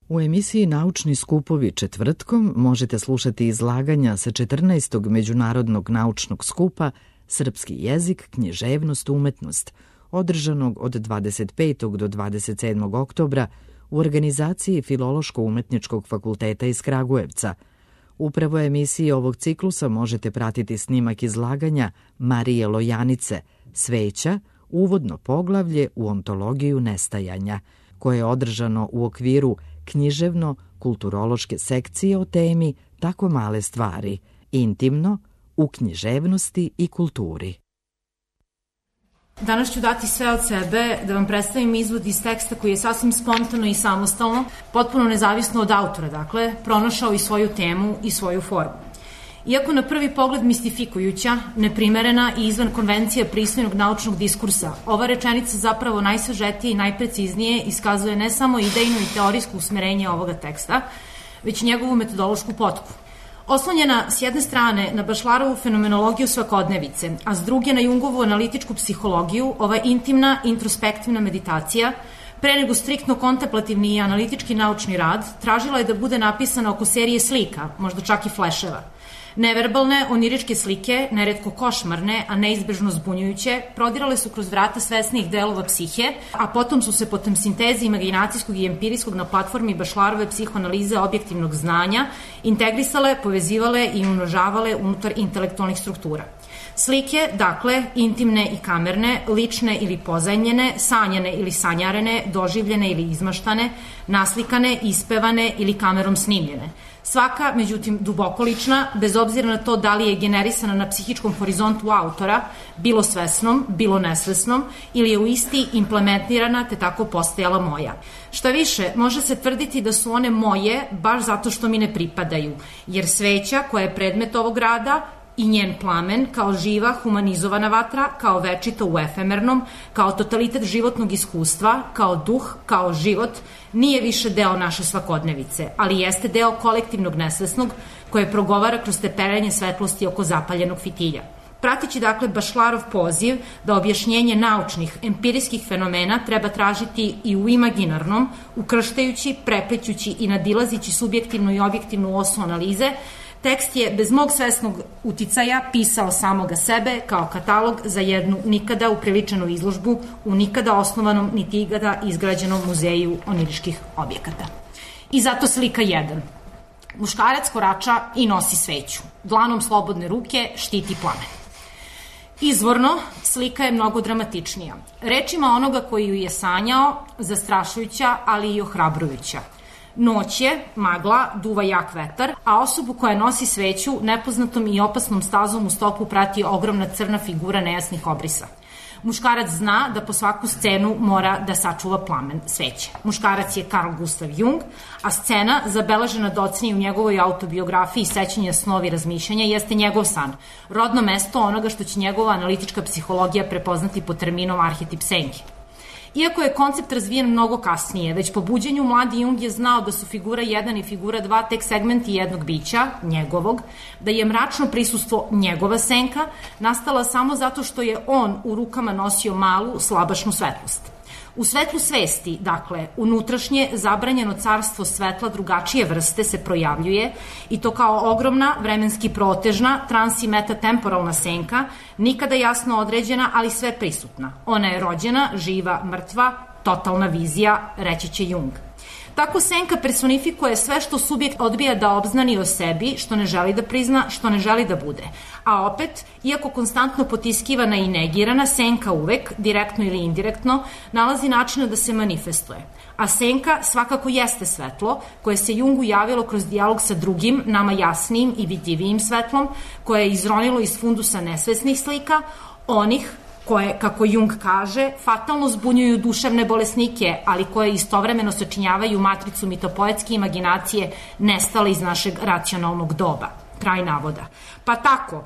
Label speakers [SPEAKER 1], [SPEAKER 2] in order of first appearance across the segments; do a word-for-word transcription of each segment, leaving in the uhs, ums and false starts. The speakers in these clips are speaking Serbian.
[SPEAKER 1] U emisiji Naučni skupovi četvrtkom možete slušati izlaganja sa četrnaestog Međunarodnog naučnog skupa Srpski jezik, književnost, umetnost, održanog od dvadeset petog do dvadeset sedmog oktobra u organizaciji Filološko-umetničkog fakulteta iz Kragujevca. Upravo emisiji ovog ciklusa možete pratiti snimak izlaganja Marije Lojanice Sveća, uvodno poglavlje u ontologiju nestajanja, koje je održano u okviru književno-kulturološke sekcije o temi Tako male stvari, intimno, u književnosti i kulturi.
[SPEAKER 2] Danas ću dati sve od sebe da vam predstavim izvod iz teksta koji je sasvim spontano i samostalno, potpuno nezavisno od autora, dakle, pronašao i svoju temu i svoju formu. Iako na prvi pogled mistifikujuća, neprimerena i izvan konvencije pristojnog naučnog diskursa, ova rečenica zapravo najsažetije i najpreciznije iskazuje ne samo idejno i teorijsko usmerenje ovoga teksta, već njegovu metodološku potku. Oslonjena s jedne strane na Bašlarovu fenomenologiju svakodnevice, a s druge na Jungovu analitičku psihologiju, ova intimna, introspektivna meditacija, pre nego striktno kontemplativni i analitički naučni rad, tražila je da bude napisana oko serije slika, možda čak i fleševa. Neverbalne, oniričke slike, neretko košmarne, a neizbežno zbunjujuće, prodirale su kroz vrata svesnijih delova psihe, a potom su se potom sintezi imaginacijskog i empirijskog na platformi Bašlarove psihoanalize objektivnog znanja integrisale, povezivale i umnožavale unutar intelektualnih struktura. Slike, dakle, intimne i kamerne, lične ili pozajmljene, sanjane ili sanjarene, doživljene ili izmaštane, naslikane, ispevane ili kamerom snimljene. Svaka, međutim, duboko lična, bez obzira na to da li je generisana na psihičkom horizontu autora, bilo svesnom, bilo nesvesnom, ili je u isti implementirana te tako postajala moja. Šta više, može se tvrditi da su one moje baš zato što mi ne pripadaju, jer sveća koja je predmet ovog rada i njen plamen kao živa, humanizovana vatra, kao večito u efemernom, kao totalitet životnog iskustva, kao duh, kao život, nije više deo naše svakodnevice, ali jeste deo kolektivnog nesvesnog koje progovara kroz teperenje svetlosti oko zapaljenog fitilja. Pratići dakle Bašlarov poziv da objašnjenje naučnih, empirijskih fenomena treba tražiti i u imaginarnom, ukrštajući, preplećući i nadilazići subjektivnu i objektivnu osu analize, tekst je bez mog svesnog uticaja pisao samoga sebe kao katalog za jednu nikada upriličenu izložbu u nikada osnovanom niti ikada izgrađenom muzeju oniriških objekata. I zato slika jedan. Muškarac korača i nosi sveću. Dlanom slobodne ruke štiti plamen. Izvorno, slika je mnogo dramatičnija. Rečima onoga koji ju je sanjao, zastrašujuća, ali i ohrabrujuća. Noć je, magla, duva jak vetar, a osobu koja nosi sveću nepoznatom i opasnom stazom u stopu prati ogromna crna figura nejasnih obrisa. Muškarac zna da po svaku scenu mora da sačuva plamen sveće. Muškarac je Carl Gustav Jung, a scena, zabeležena docnije u njegovoj autobiografiji Sećanja, snovi, razmišljanja, jeste njegov san, rodno mesto onoga što će njegova analitička psihologija prepoznati pod terminom arhetip senke. Iako je koncept razvijen mnogo kasnije, već po buđenju mladi Jung je znao da su figura jedan i figura dva tek segmenti jednog bića, njegovog, da je mračno prisustvo njegova senka nastala samo zato što je on u rukama nosio malu, slabašnu svetlost. U svetlu svesti, dakle, unutrašnje zabranjeno carstvo svetla drugačije vrste se projavljuje i to kao ogromna, vremenski protežna, trans i metatemporalna senka, nikada jasno određena, ali sve prisutna. Ona je rođena, živa, mrtva, totalna vizija, reći će Jung. Tako senka personifikuje sve što subjekt odbija da obznani o sebi, što ne želi da prizna, što ne želi da bude. A opet, iako konstantno potiskivana i negirana, senka uvek, direktno ili indirektno, nalazi načina da se manifestuje. A senka svakako jeste svetlo, koje se Jungu javilo kroz dijalog sa drugim, nama jasnijim i vidljivijim svetlom, koje je izronilo iz fundusa nesvesnih slika, onih koje, kako Jung kaže, fatalno zbunjuju duševne bolesnike, ali koje istovremeno sačinjavaju matricu mitopoetske imaginacije nestale iz našeg racionalnog doba. Kraj navoda. Pa tako,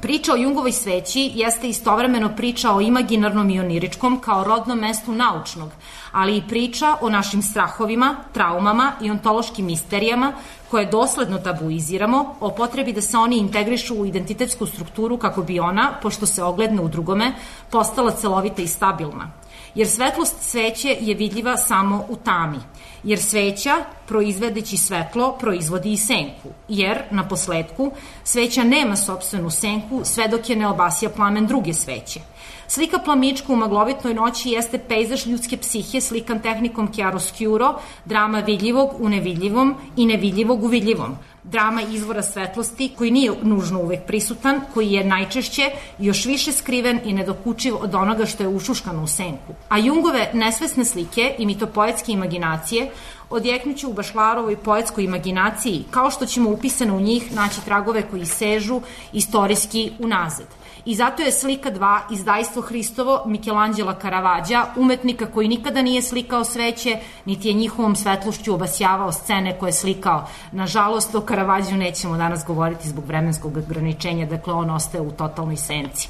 [SPEAKER 2] priča o Jungovoj sveći jeste istovremeno priča o imaginarnom i oniričkom kao rodnom mestu naučnog, ali i priča o našim strahovima, traumama i ontološkim misterijama koje dosledno tabuiziramo, o potrebi da se oni integrišu u identitetsku strukturu kako bi ona, pošto se ogledne u drugome, postala celovita i stabilna. jer svetlost sveće je vidljiva samo u tami, jer sveća, proizvedeći svetlo, proizvodi i senku, jer, na posledku, sveća nema sopstvenu senku sve dok je ne obasja plamen druge sveće. Slika plamička u maglovitnoj noći jeste pejzaž ljudske psihe slikan tehnikom chiaroscuro, drama vidljivog u nevidljivom i nevidljivog u vidljivom, drama izvora svetlosti koji nije nužno uvek prisutan, koji je najčešće još više skriven i nedokučiv od onoga što je ušuškano u senku. A Jungove nesvesne slike i mitopoetske imaginacije odjeknuće u Bašlarovoj poetskoj imaginaciji, kao što ćemo upisano u njih naći tragove koji sežu istorijski unazad. I zato je slika dva, Izdajstvo Hristovo, Mikelanđela Karavađa, umetnika koji nikada nije slikao sveće, niti je njihovom svetlošću obasjavao scene koje je slikao. Nažalost, o Karavađu nećemo danas govoriti zbog vremenskog ograničenja, dakle on ostaje u totalnoj senci.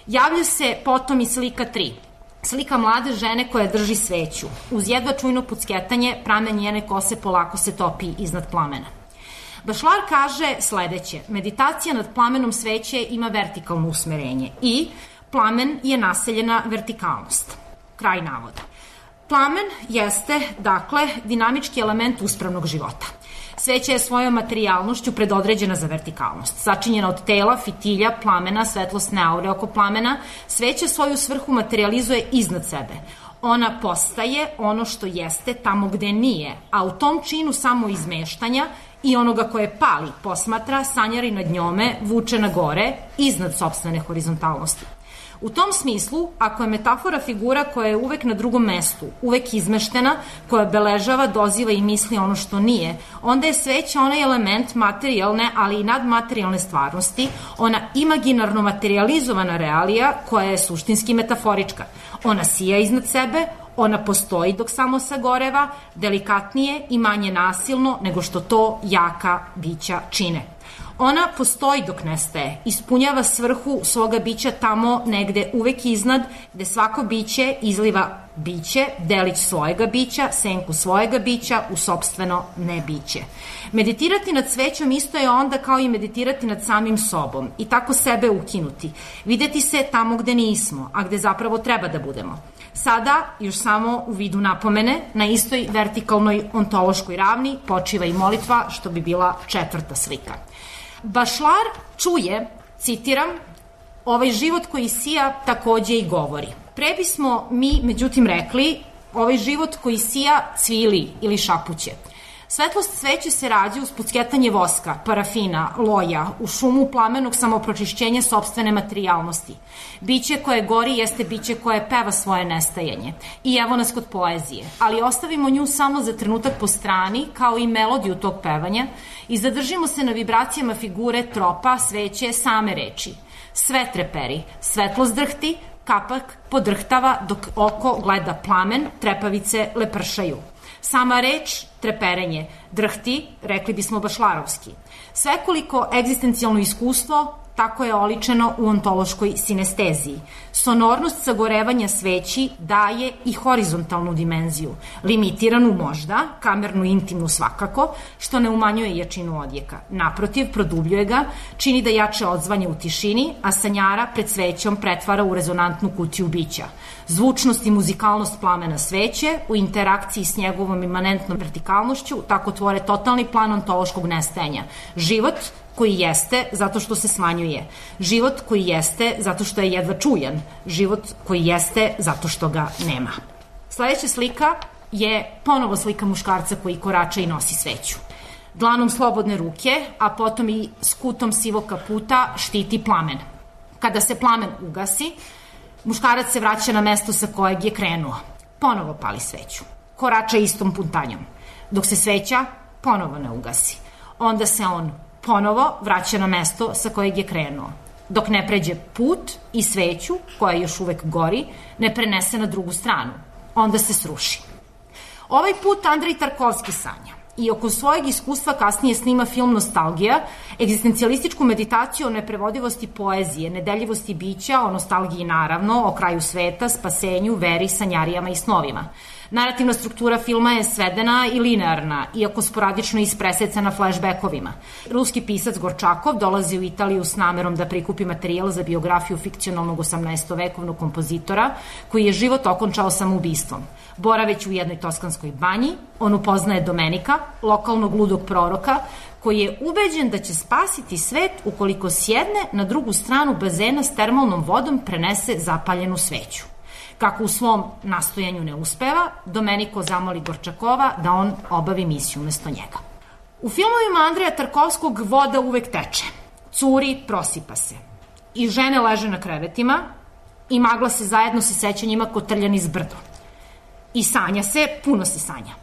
[SPEAKER 2] Javlja se potom i slika tri. Slika mlade žene koja drži sveću. Uz jedva čujno pucketanje, pramen njene kose polako se topi iznad plamena. Bašlar kaže sledeće: meditacija nad plamenom sveće ima vertikalno usmerenje i plamen je naseljena vertikalnost. Kraj navoda. Plamen jeste, dakle, dinamički element uspravnog života. Sveća je svojom materijalnošću predodređena za vertikalnost. Sačinjena od tela, fitilja, plamena, svetlosne aure oko plamena, sveća svoju svrhu materializuje iznad sebe. Ona postaje ono što jeste tamo gde nije, a u tom činu samo izmeštanja i onoga koje pali, posmatra, sanjari nad njome, vuče na gore, iznad sopstvene horizontalnosti. U tom smislu, ako je metafora figura koja je uvek na drugom mestu, uvek izmeštena, koja obeležava, doziva i misli ono što nije, onda je sveća onaj element materijalne, ali i nadmaterijalne stvarnosti, ona imaginarno materializovana realija koja je suštinski metaforička. Ona sija iznad sebe, ona postoji dok samo sagoreva, delikatnije i manje nasilno nego što to jaka bića čine. Ona postoji dok nestaje, ispunjava svrhu svoga bića tamo negde uvek iznad, gde svako biće izliva biće, delić svojega bića, senku svojega bića u sopstveno nebiće. Meditirati nad svećom isto je onda kao i meditirati nad samim sobom i tako sebe ukinuti, videti se tamo gde nismo, a gde zapravo treba da budemo. Sada, još samo u vidu napomene, na istoj vertikalnoj ontološkoj ravni počiva i molitva, što bi bila četvrta slika. Bašlar čuje, citiram, ovaj život koji sija takođe i govori. Pre bismo mi, međutim, rekli, ovaj život koji sija cvili ili šapuće. Svetlost sveće se rađa uz pucketanje voska, parafina, loja, u šumu plamenog samopročišćenja sopstvene materijalnosti. Biće koje gori jeste biće koje peva svoje nestajanje. I evo nas kod poezije. Ali ostavimo nju samo za trenutak po strani, kao i melodiju tog pevanja, i zadržimo se na vibracijama figure, tropa, sveće, same reči. Sve treperi, svetlost drhti, kapak podrhtava dok oko gleda plamen, trepavice lepršaju. Sama reč, treperenje, drhti, rekli bismo bašlarovski. Svekoliko egzistencijalno iskustvo tako je oličeno u ontološkoj sinesteziji. Sonornost sagorevanja sveći daje i horizontalnu dimenziju, limitiranu možda, kamernu intimnu svakako, što ne umanjuje jačinu odjeka. Naprotiv, produbljuje ga, čini da jače odzvanje u tišini, a sanjara pred svećom pretvara u rezonantnu kutiju bića. Zvučnost i muzikalnost plamena sveće u interakciji s njegovom imanentnom vertikalnošću tako tvore totalni plan ontološkog nestajanja. Život koji jeste zato što se smanjuje. Život koji jeste zato što je jedva čujan. Život koji jeste zato što ga nema. Sledeća slika je ponovo slika muškarca koji korača i nosi sveću. Dlanom slobodne ruke, a potom i skutom sivog kaputa štiti plamen. Kada se plamen ugasi, muškarac se vraća na mesto sa kojeg je krenuo. Ponovo pali sveću. Korača istom puntanjom. Dok se sveća ponovo ne ugasi. Onda se on ponovo vraća na mesto sa kojeg je krenuo. Dok ne pređe put i sveću, koja još uvek gori, ne prenese na drugu stranu. Onda se sruši. Ovaj put Andrej Tarkovski sanja i oko svojeg iskustva kasnije snima film Nostalgija, egzistencijalističku meditaciju o neprevodivosti poezije, nedeljivosti bića, o nostalgiji naravno, o kraju sveta, spasenju, veri, sanjarijama i snovima. Narativna struktura filma je svedena i linearna, iako sporadično ispresecana flashbackovima. Ruski pisac Gorčakov dolazi u Italiju s namerom da prikupi materijal za biografiju fikcionalnog osamnaestovekovnog kompozitora, koji je život okončao samoubistvom. Boraveći u jednoj toskanskoj banji, on upoznaje Domenika, lokalnog ludog proroka, koji je ubeđen da će spasiti svet ukoliko sjedne na drugu stranu bazena s termalnom vodom prenese zapaljenu sveću. Kako u svom nastojanju ne uspeva, Domeniko zamoli Gorčakova da on obavi misiju umesto njega. U filmovima Andreja Tarkovskog voda uvek teče, curi, prosipa se. I žene leže na krevetima i magla se zajedno sa sećanjima kotrljan iz brdo. I sanja se, puno se sanja.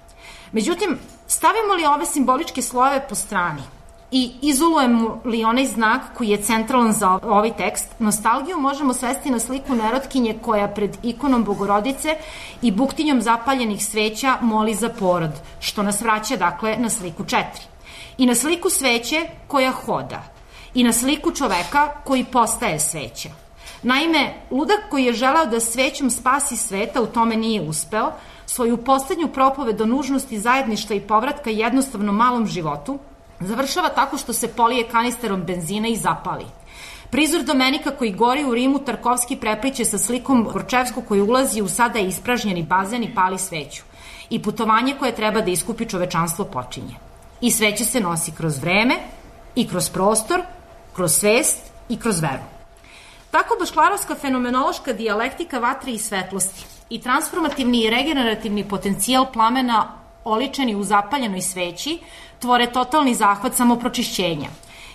[SPEAKER 2] Međutim, stavimo li ove simboličke slojeve po strani i izolujemo li onaj znak koji je centralan za ovaj tekst, nostalgiju možemo svesti na sliku nerotkinje koja pred ikonom Bogorodice i buktinjom zapaljenih sveća moli za porod, što nas vraća dakle na sliku četiri. I na sliku sveće koja hoda, i na sliku čoveka koji postaje sveća. Naime, ludak koji je želeo da svećom spasi sveta u tome nije uspeo, svoju poslednju propoved o nužnosti zajedništva i povratka jednostavno malom životu završava tako što se polije kanisterom benzina i zapali. Prizor Domenika koji gori u Rimu Tarkovski prepliče sa slikom Gorčevskog koji ulazi u sada ispražnjeni bazen i pali sveću. I putovanje koje treba da iskupi čovečanstvo počinje. I sveća se nosi kroz vreme, i kroz prostor, kroz svest i kroz veru. Tako bašklarovska fenomenološka dijalektika vatre i svetlosti i transformativni i regenerativni potencijal plamena oličeni u zapaljenoj sveći tvore totalni zahvat samopročišćenja.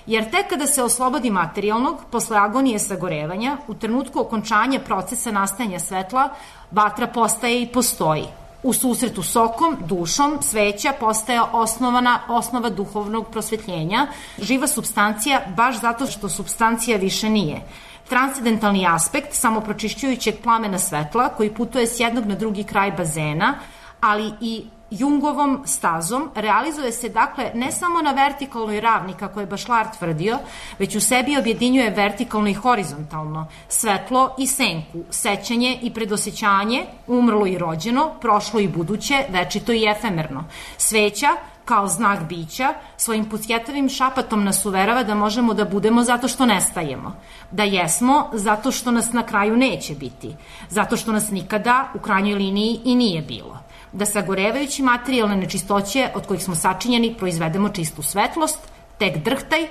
[SPEAKER 2] Jer tek kada se oslobodi materijalnog, posle agonije sagorevanja, u trenutku okončanja procesa nastajanja svetla, vatra postaje i postoji. U susretu sokom, dušom, sveća postaje osnovana osnova duhovnog prosvetljenja, živa supstancija baš zato što supstancija više nije. Transcendentalni aspekt samopročišćujućeg plamena svetla koji putuje s jednog na drugi kraj bazena, ali i Jungovom stazom, realizuje se dakle ne samo na vertikalnoj ravni kako je Bašlar tvrdio, već u sebi objedinjuje vertikalno i horizontalno, svetlo i senku, sećanje i predosećanje, umrlo i rođeno, prošlo i buduće, večito i efemerno. Sveća, kao znak bića, svojim pucjetavim šapatom nas uverava da možemo da budemo zato što nestajemo, da jesmo zato što nas na kraju neće biti, zato što nas nikada u krajnjoj liniji i nije bilo, da sagorevajući materijalne nečistoće od kojih smo sačinjeni proizvedemo čistu svetlost, tek drhtaj,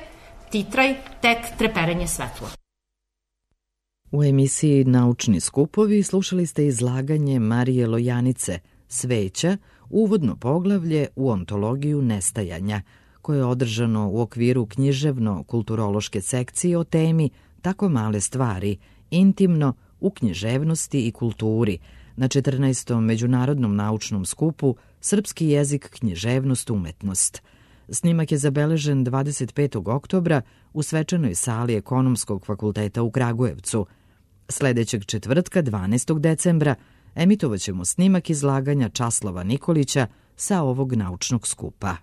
[SPEAKER 2] titraj, tek treperenje svetlo.
[SPEAKER 1] U emisiji Naučni skupovi slušali ste izlaganje Marije Lojanice Sveća, uvodno poglavlje u ontologiju nestajanja, koje je održano u okviru književno-kulturološke sekcije o temi Tako male stvari, intimno u književnosti i kulturi, na četrnaestom Međunarodnom naučnom skupu Srpski jezik, književnost, umetnost. Snimak je zabeležen dvadeset petog oktobra u svečanoj sali Ekonomskog fakulteta u Kragujevcu. Sledećeg četvrtka, dvanaestog decembra, emitovaćemo snimak izlaganja Časlava Nikolića sa ovog naučnog skupa.